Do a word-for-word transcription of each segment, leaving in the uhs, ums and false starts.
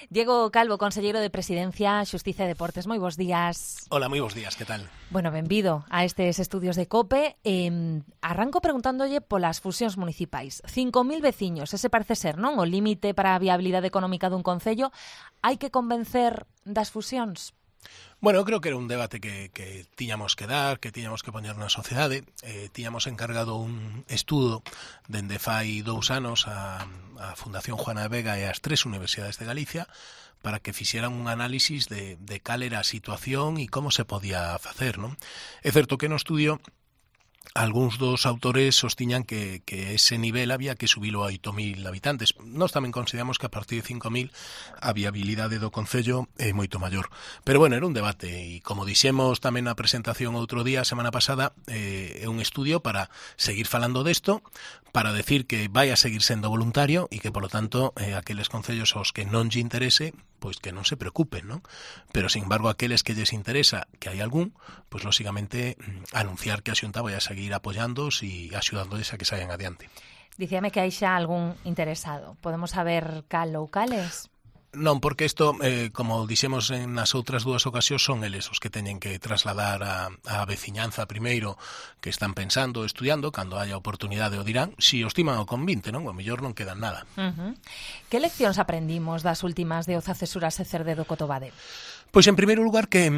Diego Calvo, conselleiro de Presidencia, Xustiza e Deportes. Moi bons días. Hola, moi bons días, que tal? Bueno, benvido a estes estudios de COPE. Eh, arranco preguntándolle polas fusións municipais. cinco mil veciños, ese parece ser, non? O límite para a viabilidade económica dun concello. Hai que convencer das fusións? Bueno, creo que era un debate que, que tiñamos que dar, que tiñamos que poñer na sociedade. Eh, tiñamos encargado un estudo dende fai dous anos a, a Fundación Juana de Vega e as tres universidades de Galicia para que fixeran un análisis de, de cal era a situación e como se podía facer, non? É certo que no estudio algúns dos autores sostiñan que, que ese nivel había que subilo a oito mil habitantes. Nós tamén consideramos que a partir de cinco mil a viabilidade do concello é moito maior. Pero bueno, era un debate e como dixemos tamén na presentación outro día, a semana pasada, eh, é un estudio para seguir falando desto, para decir que vai a seguir sendo voluntario e que, polo tanto, eh, aqueles concellos aos que non lle interese, pois que non se preocupen, non? Pero, sin embargo, aqueles que lles interesa, que hai algún, pois, lógicamente, anunciar que a Xunta vai a seguir apoiándoos e axudándoles a que saian adiante. Dicíame que hai xa algún interesado. Podemos saber cal ou cales? Non, porque isto, eh, como dixemos en nas outras dúas ocasións, son eles os que teñen que trasladar a, a veciñanza primeiro que están pensando, estudiando, cando haya oportunidade o dirán, si os timan o convinte, non? O mellor non quedan nada. Uh-huh. Que leccións aprendimos das últimas de Oza Cesuras e Cerde do Cotobade? Pois, en primeiro lugar, que...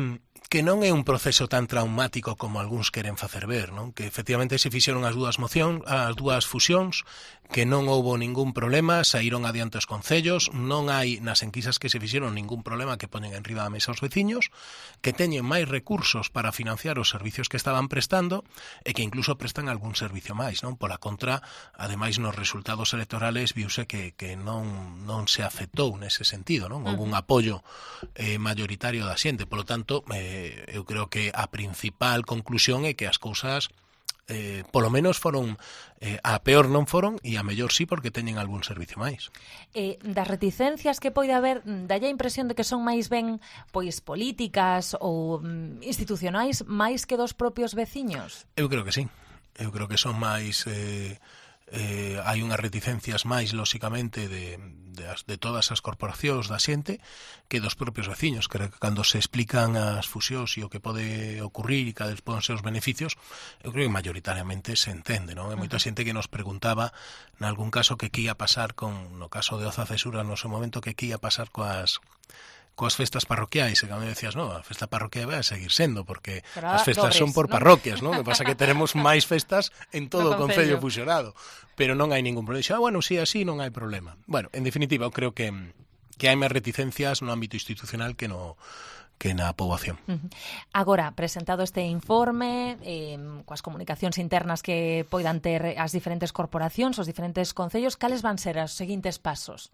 que non é un proceso tan traumático como algúns queren facer ver, non? Que efectivamente se fixeron as dúas mocións, as dúas fusións, que non houbo ningún problema, saíron adiante os concellos, non hai nas enquisas que se fixeron ningún problema que poñen en riba da mesa os veciños, que teñen máis recursos para financiar os servicios que estaban prestando e que incluso prestan algún servicio máis, non? Pola contra, ademais nos resultados electorales viuse que, que non, non se afectou nese sentido, non? Houve un apoio eh, mayoritario da xente, polo tanto, eh, eu creo que a principal conclusión é que as cousas eh, polo menos foron eh, a peor non foron e a mellor sí porque teñen algún servicio máis. Eh, das reticencias que pode haber, dalle a impresión de que son máis ben pois políticas ou mm, institucionais máis que dos propios veciños? Eu creo que sí. Eu creo que son máis... Eh, Eh, hai unhas reticencias máis, lóxicamente, de, de, as, de todas as corporacións da xente que dos propios veciños, que cando se explican as fusións e o que pode ocurrir e cales poden ser os beneficios, eu creo que mayoritariamente se entende, non? Hai moita xente que nos preguntaba, nalgún caso, que que ia pasar con, no caso de Oza Cesura, no seu momento, que que ia pasar coas... coas festas parroquiais, e cando decías, no, a festa parroquial vai a seguir sendo, porque pero as festas dobres, son por ¿no? parroquias, non? O que pasa que teremos máis festas en todo no o concello concello fusionado, pero non hai ningún problema. Ah, bueno, si sí, así non hai problema. Bueno, en definitiva, eu creo que, que hai máis reticencias no ámbito institucional que no que na poboación. Uh-huh. Agora, presentado este informe, eh, coas comunicacións internas que poidan ter as diferentes corporacións, os diferentes concellos, cales van ser os seguintes pasos?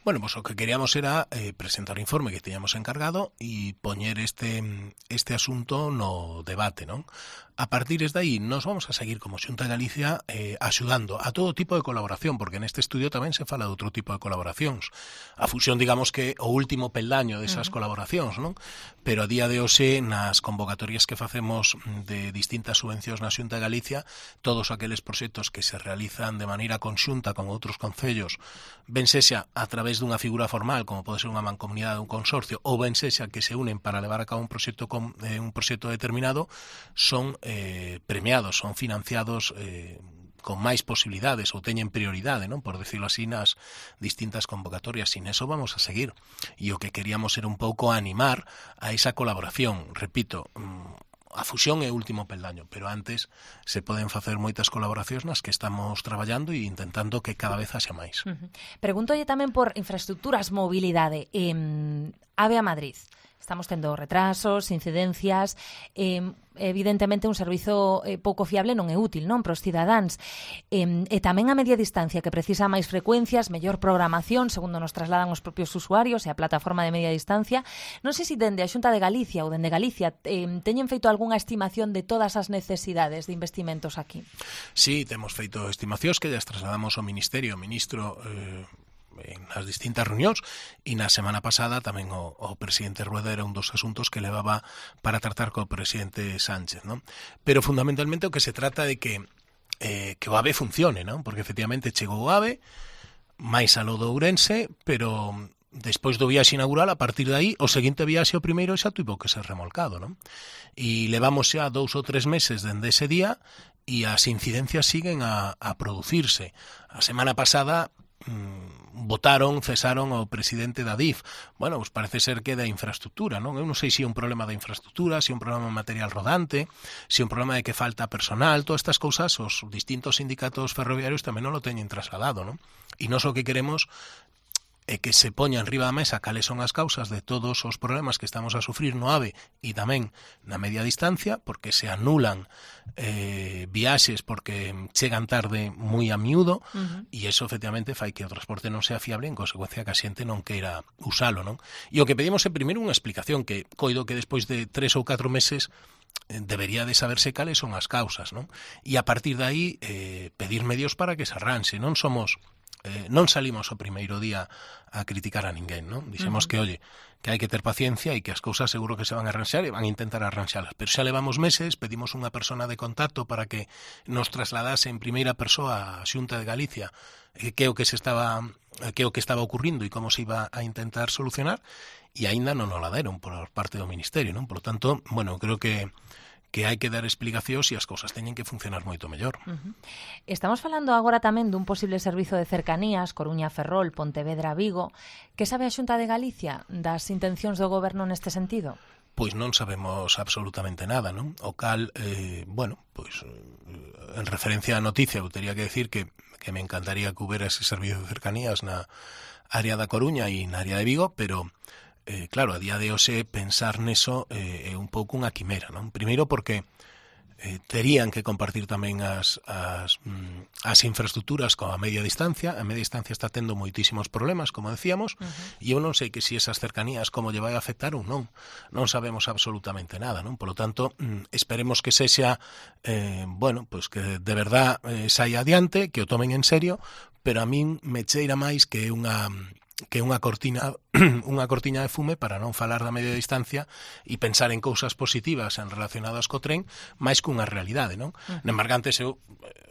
Bueno, pues o que queríamos era eh, presentar o informe que teñamos encargado e poñer este, este asunto no debate, non? A partir de aí, nos vamos a seguir como Xunta de Galicia eh, axudando a todo tipo de colaboración, porque neste estudio tamén se fala de outro tipo de colaboracións. A fusión, digamos que o último peldaño desas uh-huh. colaboracións, non? Pero a día de hoxe, nas convocatorias que facemos de distintas subvencións na Xunta de Galicia, todos aqueles proxectos que se realizan de maneira conxunta con outros concellos, ben sexa a través dunha figura formal, como pode ser unha mancomunidade ou un consorcio, ou ben sexa que se unen para levar a cabo un proxecto, con, eh, un proxecto determinado, son eh, premiados, son financiados eh, con máis posibilidades ou teñen prioridade, non? Por decirlo así, nas distintas convocatorias. Sin eso vamos a seguir. E o que queríamos era un pouco animar a esa colaboración. Repito, a fusión é o último peldaño, pero antes se poden facer moitas colaboracións nas que estamos traballando e intentando que cada vez haxa máis. Uh-huh. Pregúntolle tamén por infraestructuras, mobilidade. Eh, Ave a Madrid. Estamos tendo retrasos, incidencias, eh, evidentemente un servizo eh, pouco fiable non é útil, non, para os cidadáns. Eh, e tamén a media distancia, que precisa máis frecuencias, mellor programación, segundo nos trasladan os propios usuarios e a plataforma de media distancia. Non sei se dende a Xunta de Galicia ou dende Galicia eh, teñen feito algunha estimación de todas as necesidades de investimentos aquí. Sí, temos feito estimacións que llas trasladamos ao Ministerio, o Ministro... Eh... en as distintas reunións e na semana pasada tamén o, o presidente Rueda era un dos asuntos que levaba para tratar co presidente Sánchez, non? Pero fundamentalmente o que se trata de que eh, que o AVE funcione, non? Porque efectivamente chegou o AVE máis a lo de Ourense, pero despois do viaxe inaugural, a partir de aí, o seguinte viaxe, o primeiro, xa tuvo que ser remolcado, non? E levamos xa dous ou tres meses dende ese día e as incidencias siguen a, a producirse. A semana pasada votaron, cesaron ao presidente da D I F. Bueno, pues parece ser que da infraestructura, non? Eu non sei se é un problema da infraestructura, se é un problema de material rodante, se é un problema de que falta personal, todas estas cousas os distintos sindicatos ferroviarios tamén non lo teñen trasladado, non? E nós o que queremos é que se poña enriba da mesa cales son as causas de todos os problemas que estamos a sufrir no AVE e tamén na media distancia, porque se anulan eh, viaxes porque chegan tarde moi a miúdo, uh-huh. e iso efectivamente fai que o transporte non sea fiable, en consecuencia que a xente non queira usalo, non? E o que pedimos é primeiro unha explicación, que coido que despois de tres ou catro meses debería de saberse cales son as causas, non? E a partir de aí eh, pedir medios para que se arranxe. Non somos Eh, non salimos o primeiro día a criticar a ninguén, non? Dixemos uh-huh. que, oye, que hai que ter paciencia e que as cousas seguro que se van a arranxar e van a intentar arranxalas. Pero xa levamos meses, pedimos unha persona de contacto para que nos trasladase en primeira persoa a Xunta de Galicia eh, que é o que se estaba que é o que estaba ocurrindo e como se iba a intentar solucionar, e aínda non o la deron por parte do Ministerio, non? Por lo tanto, bueno, creo que que hai que dar explicacións e as cousas teñen que funcionar moito mellor. Uh-huh. Estamos falando agora tamén dun posible servizo de cercanías, Coruña-Ferrol, Pontevedra-Vigo. Que sabe a Xunta de Galicia das intencións do goberno neste sentido? Pois non sabemos absolutamente nada, non? O cal, eh, bueno, pois en referencia á noticia, eu teria que decir que, que me encantaría que houbera ese servizo de cercanías na área da Coruña e na área de Vigo, pero Eh, claro, a día de hoxe pensar neso eh, é un pouco unha quimera, non? Primeiro porque eh, terían que compartir tamén as, as, mm, as infraestructuras coa media distancia. A media distancia está tendo moitísimos problemas, como decíamos, uh-huh. e eu non sei que si esas cercanías como lle vai a afectar ou non. Non sabemos absolutamente nada, non? Por lo tanto, mm, esperemos que sexa, eh, bueno, pues que de verdad eh, saia adiante, que o tomen en serio, pero a min me cheira máis que é unha que é unha cortina unha cortiña de fume para non falar da media distancia e pensar en cousas positivas en relacionadas co tren máis que unha realidade, non? Uh-huh. Na Embargantes eu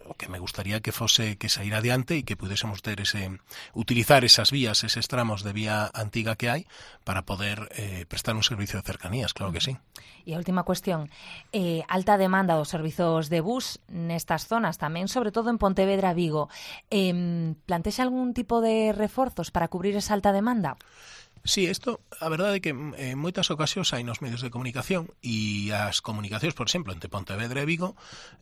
o que me gustaría que fose que sair adiante e que pudésemos ter ese utilizar esas vías, eses tramos de vía antiga que hai para poder eh, prestar un servicio de cercanías, claro que sí. E a última cuestión, eh, alta demanda dos servizos de bus nestas zonas tamén, sobre todo en Pontevedra e Vigo. Eh, plantexa algún tipo de reforzos para cubrir esa alta demanda? Sí, isto, a verdade é que en moitas ocasións hai nos medios de comunicación e as comunicacións, por exemplo, entre Pontevedra e Vigo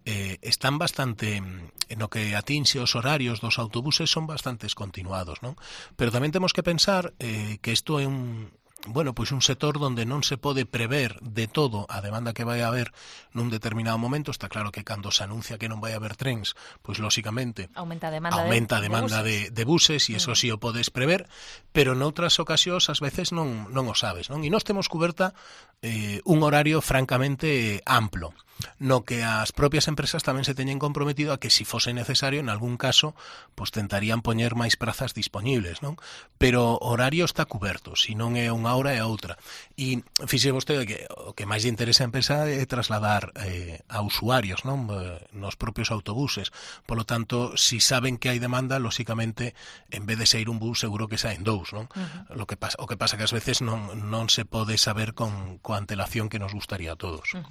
eh, están bastante, en o que atinxe os horarios dos autobuses son bastante continuados, non? Pero tamén temos que pensar eh, que isto é un bueno, pois un sector onde non se pode prever de todo a demanda que vai haber nun determinado momento. Está claro que cando se anuncia que non vai haber trens, pois lóxicamente aumenta a demanda, aumenta de, a demanda de buses, de, de buses e eso sí o podes prever, pero noutras ocasións ás veces non, non o sabes, non? E nós temos cuberta eh, un horario francamente amplo, no que as propias empresas tamén se teñen comprometido a que si fose necesario, en algún caso, pues tentarían poñer máis prazas disponibles, non? Pero o horario está cuberto, si non é unha hora é outra. E fixe vostede que o que máis lle interesa a empresa é trasladar eh, a usuarios, non? Nos propios autobuses. Por lo tanto, si saben que hai demanda, lóxicamente, en vez de sair un bus, seguro que saen dous, non? Uh-huh. Lo que pasa, o que pasa que ás veces non, non se pode saber con, con antelación que nos gustaría a todos. Uh-huh.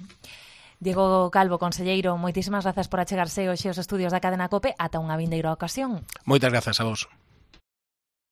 Diego Calvo, conselleiro, moitísimas grazas por achegarse hoxe aos estudios da Cadena COPE ata unha vindeira ocasión. Moitas grazas a vos.